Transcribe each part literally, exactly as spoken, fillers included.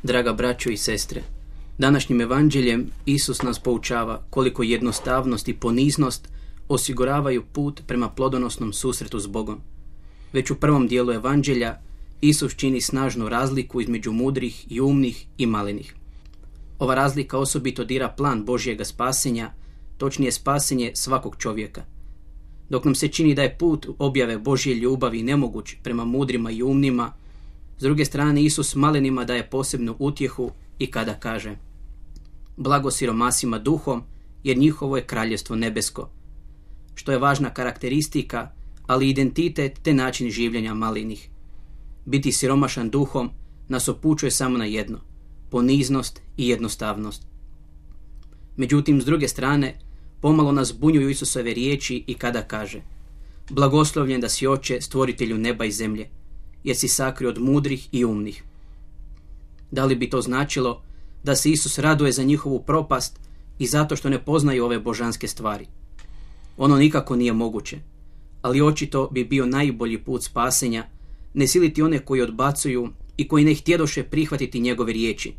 Draga braćo i sestre, današnjim evanđeljem Isus nas poučava koliko jednostavnost i poniznost osiguravaju put prema plodonosnom susretu s Bogom. Već u prvom dijelu evanđelja Isus čini snažnu razliku između mudrih i umnih i malenih. Ova razlika osobito dira plan Božjega spasenja, točnije spasenje svakog čovjeka. Dok nam se čini da je put objave Božje ljubavi nemoguć prema mudrima i umnima, s druge strane Isus malenima daje posebnu utjehu i kada kaže: blago siromasima duhom, jer njihovo je kraljevstvo nebesko, što je važna karakteristika, ali identitet te način življenja malenih. Biti siromašan duhom nas upućuje samo na jedno: poniznost i jednostavnost. Međutim, s druge strane, pomalo nas bunjuju Isusove riječi i kada kaže: blagoslovljen da si, Oče, stvoritelju neba i zemlje, jer si sakrio od mudrih i umnih. Da li bi to značilo da se Isus raduje za njihovu propast i zato što ne poznaju ove božanske stvari? Ono nikako nije moguće, ali očito bi bio najbolji put spasenja ne siliti one koji odbacuju i koji ne htjedoše prihvatiti njegove riječi,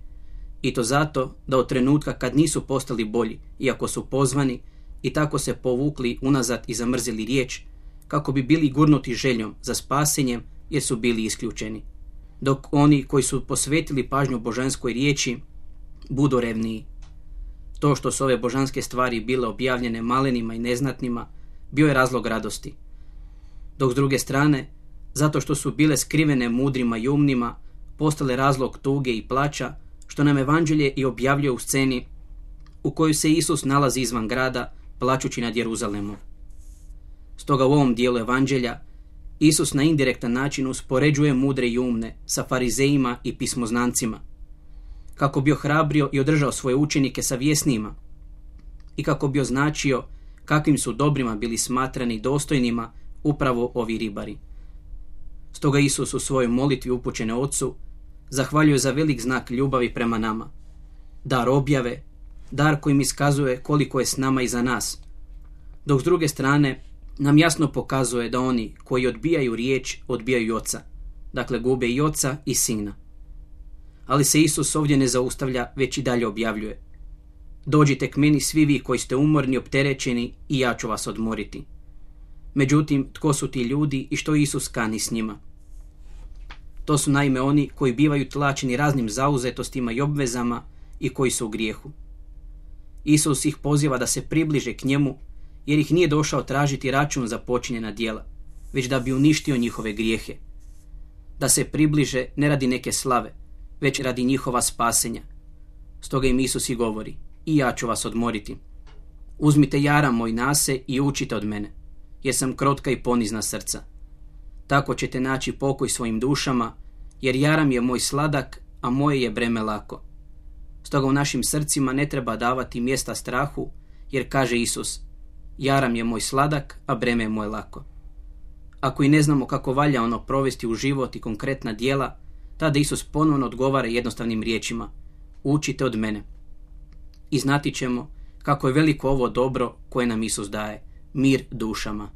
i to zato da od trenutka kad nisu postali bolji, iako su pozvani, i tako se povukli unazad i zamrzili riječ, kako bi bili gurnuti željom za spasenjem jer su bili isključeni. Dok oni koji su posvetili pažnju božanskoj riječi budu revniji. To što su ove božanske stvari bile objavljene malenima i neznatnima bio je razlog radosti. Dok s druge strane, zato što su bile skrivene mudrima i umnima, postale razlog tuge i plača, što nam evanđelje i objavljuje u sceni u kojoj se Isus nalazi izvan grada, plačući nad Jeruzalemom. Stoga u ovom dijelu evanđelja Isus na indirektan način uspoređuje mudre i umne sa farizejima i pismoznancima, kako bi ohrabrio i održao svoje učenike sa vjesnima i kako bi označio kakvim su dobrima bili smatrani dostojnima upravo ovi ribari. Stoga Isus u svojoj molitvi upućene Ocu zahvaljuje za velik znak ljubavi prema nama, dar objave, dar kojim iskazuje koliko je s nama i za nas, dok s druge strane nam jasno pokazuje da oni koji odbijaju riječ odbijaju i Oca, dakle gube i Oca i Sina. Ali se Isus ovdje ne zaustavlja, već i dalje objavljuje: dođite k meni svi vi koji ste umorni, opterećeni, i ja ću vas odmoriti. Međutim, tko su ti ljudi i što Isus kani s njima? To su naime oni koji bivaju tlačeni raznim zauzetostima i obvezama i koji su u grijehu. Isus ih poziva da se približe k njemu, jer ih nije došao tražiti račun za počinjena djela, već da bi uništio njihove grijehe. Da se približe ne radi neke slave, već radi njihova spasenja. Stoga im Isus i govori: i ja ću vas odmoriti. Uzmite jaram moj na se i učite od mene, jer sam krotka i ponizna srca. Tako ćete naći pokoj svojim dušama, jer jaram je moj sladak, a moje je breme lako. Stoga u našim srcima ne treba davati mjesta strahu, jer kaže Isus: jaram je moj sladak, a breme je moje lako. Ako i ne znamo kako valja ono provesti u život i konkretna djela, tada Isus ponovno odgovara jednostavnim riječima: učite od mene. I znati ćemo kako je veliko ovo dobro koje nam Isus daje, mir dušama.